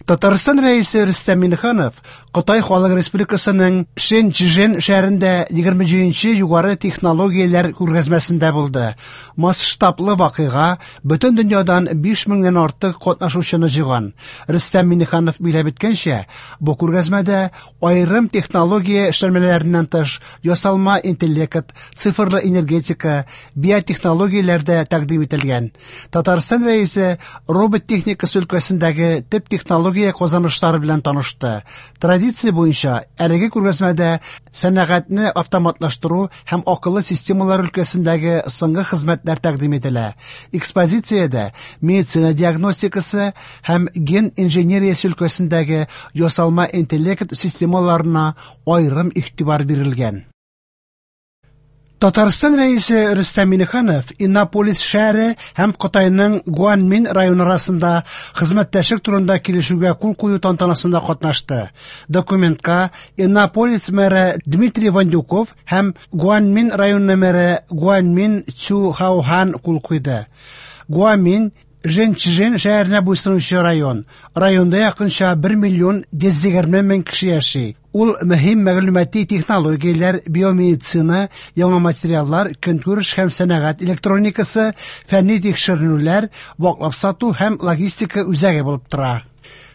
Татарстан Рәисе Рөстәм Миңнеханов Кытай Халык Республикасының Шэньчжэн шәһәрендә 27нче югары технологияләр күргәзмәсендә булды. Масштаблы вакыйга бөтен дөньядан 5 меңнән артык катнашучыны җыйган. Рөстәм Миңнеханов билгеләп үткәнчә, бу күргәзмәдә аерым технология эшләнмәләреннән тыш ясалма интеллект, цифрлы энергетика, биотехнологияләр дә тәкъдим ителгән. Татарстан Рәисе робот техникасы өлкәсендәге төп технология казанышлары белән танышты. Традиция буенча әлеге күргәзмәдә сәнәгатьне автоматлаштыру һәм акыллы системалар өлкәсендәге соңгы хезмәтләр тәкъдим ителә. Экспозициядә медицина диагностикасы һәм ген инженериясе өлкәсендәге ясалма интеллект системаларына аерым игътибар бирелгән. Татарстан Рәисе Рөстәм Миңнеханов Иннополис шәһәре һәм Кытайның Гуанмин районы арасында хезмәттәшлек турында килешүгә кул кую тантанасында катнашты. Документка Иннополис мэры Дмитрий Вандюков һәм Гуанмин районы мэры Гуанмин Цю Хаухан кул куйды. Гуанмин Жэньчжэн шәһәренә буйсынучы район. Районда якынча 1 миллион 120 мең кеше яши. Ул мөһим мәгълүмати технологияләр, биомедицина, яңа материаллар, көнкүреш һәм сәнәгать электроникасы, фәнни тикшеренүләр, ваклап сату һәм логистика үзәге булып тора.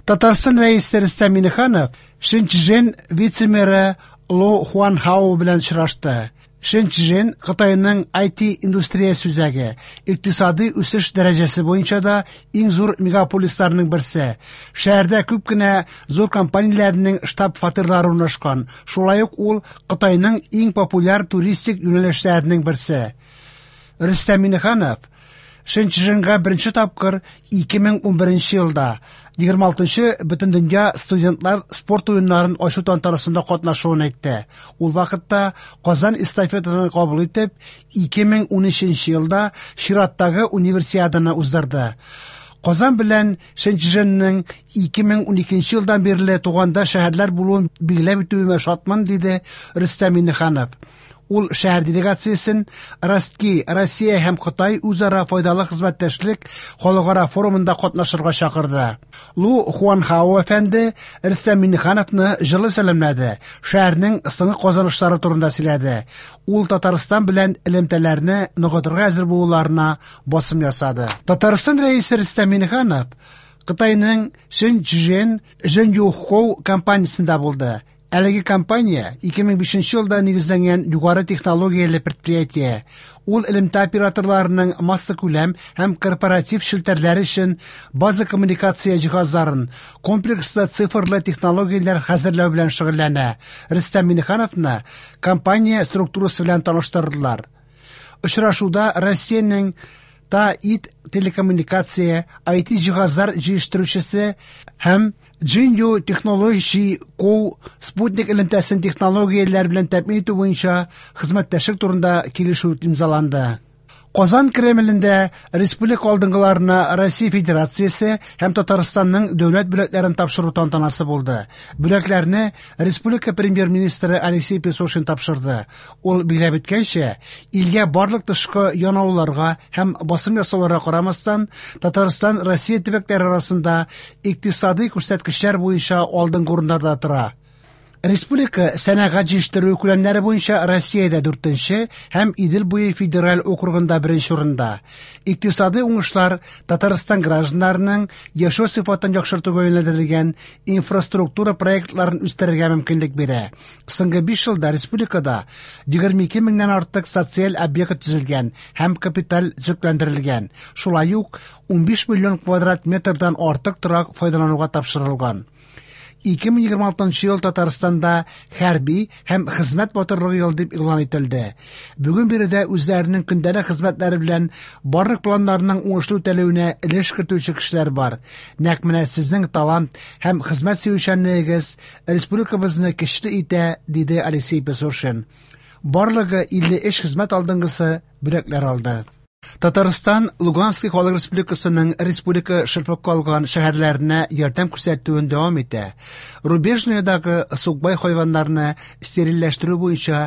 Татарстан Рәисе Рөстәм Миңнеханов Шэньчжэн вице-мэры Ло Хуанхао белән очрашты. Шэньчжэн Кытайның IT индустриясе үзәге, икътисади үсеш дәрәҗәсе буенча да иң зур мегаполисларның берсе. Шәһәрдә күп кенә зур компанияләрнең штаб-фатирлары урнашкан. Шулай ук ул Кытайның иң популяр туристик юнәлешләренең берсе. Рөстәм Миңнеханов Шэньчжэнга беренче тапкыр 2011 елда 26нчы Бөтендөнья студентлар спорт уеннарын ачу тантанасында катнашуын әйтте. Ул вакытта Казан эстафетаны кабул итеп, 2013 елда чираттагы универсиаданы уздырды. Казан белән Шэньчжэнның 2012 елдан бирле тугандаш шәһәрләр булуын билгеләп үтүемә шатмын, диде Рөстәм Миңнеханов. Ул шәһәр делегациясен Ростки, Россия һәм Кытай үзара файдалы хезмәттәшлек халыкара форумында катнашырга чакырды. Лу Хуанхао әфәнде Рөстәм Миңнехановны җылы сәламләде, шәһәрнең соңгы казанышлары турында сөйләде. Ул Татарстан белән элемтәләрне ныгытырга әзер булуларына басым ясады. Татарстан Рәисе Рөстәм Миңнеханов Кытайның Шэньчжэн Жэньюхоу компаниясендә булды. Әлеге компания 2005 елда нигезләнгән югары технологияле предприятие. Ул элемтә операторларының массакүләм һәм корпоратив челтәрләре өчен база коммуникация җиһазларын, комплекслы цифрлы технологияләр хәзерләү белән шөгыльләнә. Рөстәм Миңнехановны компания структурасы белән таныштырдылар. Очрашуда Россиянең ТАИТ телекоммуникация, IT җиһазлар җитештерүчесе һәм Jinyu Technology Co спутник элемтәсен технологияләр белән тәэмин итү буенча хезмәттәшлек турында килешү имзаланды. Казан Кремлендә республика алдынгыларына Россия Федерациясе һәм Татарстанның дәүләт бүләкләрен тапшыру тантанасы булды. Бүләкләрне республика премьер-министры Алексей Песошин тапшырды. Ул билгеләп үткәнчә, илгә барлык тышкы янауларга һәм басым ясауларга карамастан, Татарстан Россия төбәкләре арасында икътисади күрсәткечләр буенча алдынгы урыннарда тора. Республика сәнәгать җитештерү күләмнәре буенча Россиядә дүртенче һәм Идел буе федераль округында беренче урында. Икътисади уңышлар Татарстан гражданнарының яшәү сыйфатын яхшыртуга юнәлдерелгән инфраструктура проектларын үстерергә мөмкинлек бирә. Соңгы 5 елда республикада 22 меңнән артык социаль объект төзелгән һәм капиталь төзекләндерелгән. Шулай ук 15 миллион квадрат метрдан артык торак файдалануга тапшырылган. 2026 ел Татарстанда хәрби һәм хезмәт батырлыгы елы дип игълан ителде. Бүген биредә үзләренең көндәлек хезмәтләре белән барлык планнарның уңышлы үтәлүенә өлеш кертүче кешеләр бар. Нәкъ менә сезнең талант һәм хезмәт сөючәнлегегез республикабызны көчле итә, диде Алексей Песошин. Барлыгы 53 хезмәт алдынгысы бүләкләр алды. Татарстан Лугански Халык Республикасының республика шырпып калган шәһәрләренә ярдәм күрсәтүен дәвам итә. Рубежныйдагы сукбай хайваннарны стерильләштерү буенча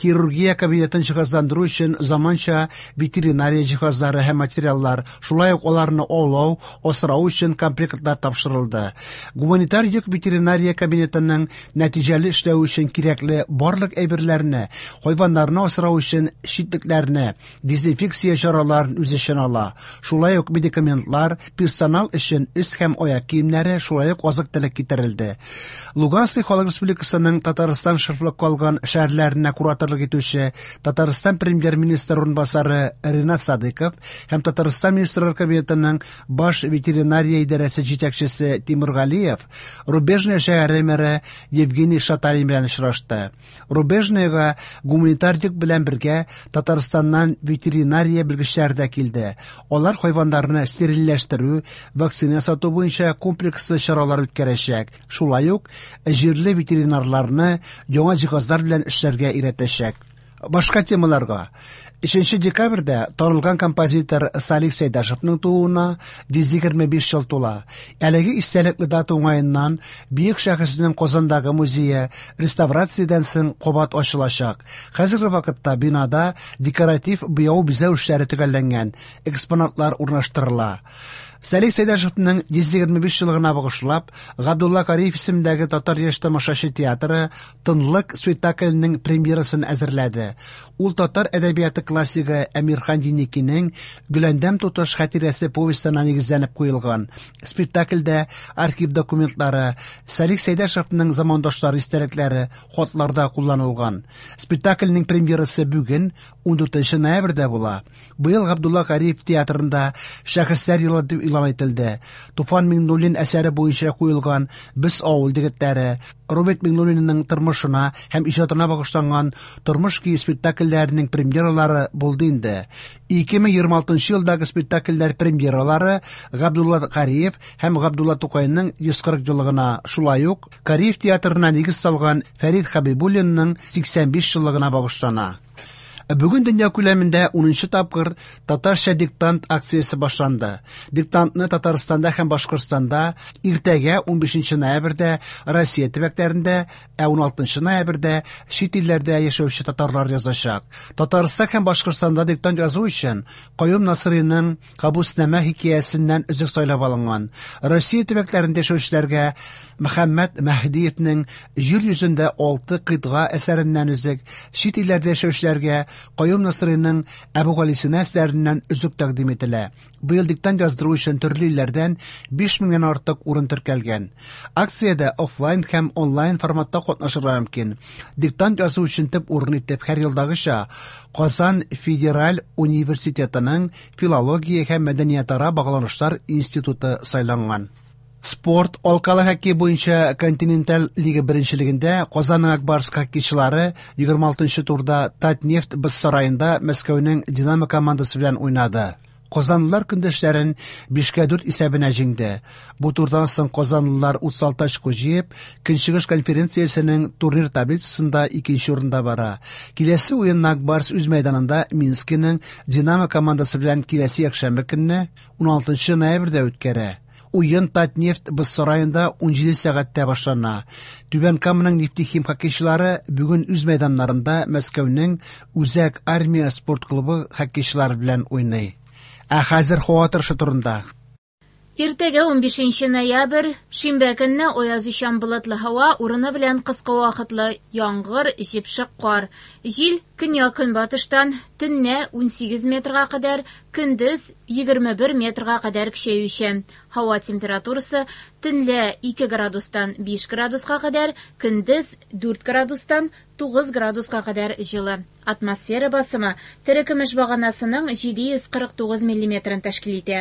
хирургия кабинетын җиһазландыру өчен заманча ветеринария җиһазлары һәм материаллар, шулай ук аларны аулау, асрау өчен комплектлар тапшырылды. Гуманитар йөк ветеринария кабинетының нәтиҗәле эшләве өчен кирәкле барлык әйберләрне, хайваннарны асрау өчен читлекләрне, дезинфекция чараларын үз эченә ала. Шулай ук медикаментлар, персонал өчен өс һәм аяк киемнәре, шулай ук азык-төлек китерелде. Луганский Халык Республикасының Татарстан шырпылып калган шәһәрләренә кураторлык итүче Татарстан премьер-министры урынбасары Ринат Садыков һәм Татарстан Министрлар Кабинетының баш ветеринария идарәсе җитәкчесе Тимур Галиев Рубежное шәһәре мэры Евгений Шаталин белән очрашты. Рубежныйга гуманитар йөк белән бергә Татарстаннан ветеринария белгечләре дә килде. Алар хайваннарны стерильләштерү, вакцина сату буенча комплекслы чаралар үткәрәчәк. Шулай ук җирле ветеринарларны яңа җиһазлар белән эшләргә өйрәтәчәк. Башка темаларга. 3 декабрьдә танылган композитор Салих Сәйдашевның тууына 125 ел тула. Әлеге истәлекле дата уңаеннан бөек шәхеснең Казандагы музее реставрациядән соң кабат ачылачак. Хәзерге вакытта бинада декоратив буяу бизәү эшләре төгәлләнгән, экспонатлар урнаштырыла. Салих Сәйдашевның 125 еллыгына багышлап, Габдулла Кариев исемендәге Татар яшь тамашачы театры Тынлык спектакленең премьерасын әзерләде. Ул татар әдәбияты классигы Әмирхан Еникинең Гөләндәм туташ хатирәсе повестена нигезләнеп куелган. Спектакльдә архив документлары, Салих Сәйдәшевның замандашлары истәлекләре, хатларда кулланылган. Спектакльнең премьерасы бүген 14 ноябрьдә була. Быел Габдулла Кариев театрында Шәхесләр елы дип игълан ителде. Туфан Миңнуллин әсәре буенча куелган Без авыл егетләре, Роберт Миңнуллинның тормышына һәм иҗатына багышланган Тормыш көе спектакльләренең премьералары булды инде. 2026 елдагы спектакльләр премьералары Габдулла Кариев һәм Габдулла Тукайның 140 еллыгына, шулай ук Кариев театрына нигез салган Фәрид Хәбибуллинның 85 еллыгына багышлана. Бүген дөнья күләмендә 10нчы тапкыр Татарча диктант акциясе башланды. Диктантны Татарстанда һәм Башкортстанда иртәгә 15 ноябрьдә Россия төбәкләрендә, ә 16 ноябрьдә чит илләрдә яшәүче татарлар язачак. Татарстан һәм Башкортстанда диктант язу өчен Каюм Насыйриның Кабуснамә хикәясеннән өзек сайлап алынган. Россия төбәкләрендә яшәүчеләргә Мөхәммәд Мәһдиевнең Җир йөзендә алты кыйтга әсәреннән өзек, чит илләрдә яшәүчеләргә Каюм Насыйриның Әбүгалисина әсәреннән өзек тәкъдим ителә. Быел диктант яздыру өчен төрле илләрдән 5000-нән артык урын теркәлгән. Акциядә офлайн һәм онлайн форматта катнашырга мөмкин. Диктант язу өчен төп урын итеп һәр елдагыча Казан федераль университетының филология һәм мәдәниятара багланышлар институты сайланган. Спорт алкалы хоккей буенча континенталь лига беренчелегендә Казанның Ак Барс хоккейчылары 26 турда Татнефть боз сараенда Мәскәүнең Динамо командасы белән уйнады. Казанлылар көндәшләрен 5-4 исәбенә җиңде. Бу турдан соң казанлылар 36 очко җыеп, Көнчыгыш конференциясенең турнир таблицасында икенче урында бара. Киләсе уенны Ак Барс үз мәйданында Минскиның Динамо командасы белән киләсе якшәмбе көнне 16 ноябрьдә үткәрә. Уен Татнефть боз сараенда 17 сәгатьтә башлана. Түбән Каманың Нефтехим хоккейчылары бүген үз мәйданнарында Мәскәүнең Үзәк армия спорт клубы хоккейчылары белән уйный. Ә хәзер һава торышы турында. Иртәгә 15 ноябрь, шимбә көнне аязучан болытлы һава, урыны белән кыска вакытлы яңгыр, җепшек кар. Җил көньяк-көнбатыштан төнлә 18 метрга кадәр, көндез 21 метрга кадәр көчәючән. Һава температурасы төнлә 2 градустан 5 градуска кадәр, көндез 4 градустан 9 градуска кадәр җылы. Атмосфера басымы терекөмеш баганасының 749 миллиметрын тәшкил итә.